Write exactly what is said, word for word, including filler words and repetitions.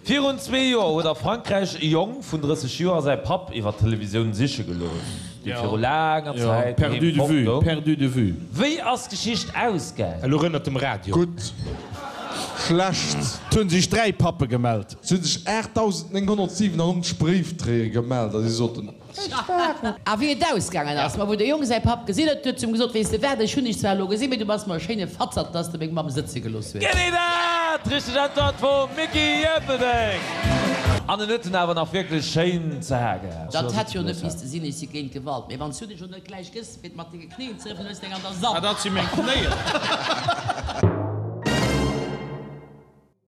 Virun zwee Joer huet a Frankräich e Jong vun drësseg Joer säi Papp iwwer d'Televisioun siche gelooss, dee viru laanger Zäit Perdu doheem de vue, fort goung. perdu de vue. Wéi ass d'Geschicht ausgaang? Elo rënnert dem Radio. Gutt, schlecht. Et hunn sech dräi Pappe gemellt. Et hunn sech aachtdausendnénghonnertsiwenannonzeg Bréifdréier gemellt a si soten, A wéi et ausgaangen ass, ma wou de Jong säi Papp gesinn huet, huet zu em gesot, Weess de wat, ech hunn dech zwar elo gesinn, mee du bass mer e schéine Fatzert, dass de meng Mamm sëtze gelooss hues. Genee dat! Richteg Äntwert vum Micky Ierpeldeng! An en huet en awer nach wierklech schéin ze ha gehat. Dat hätt jo net misste sinn, ech si géint Gewalt, mee wann s du dech elo net gläich gëss, fir et mat denge Knéien ze rëffelen, hues de eng an der Ah, Saach. dat si meng Knéien.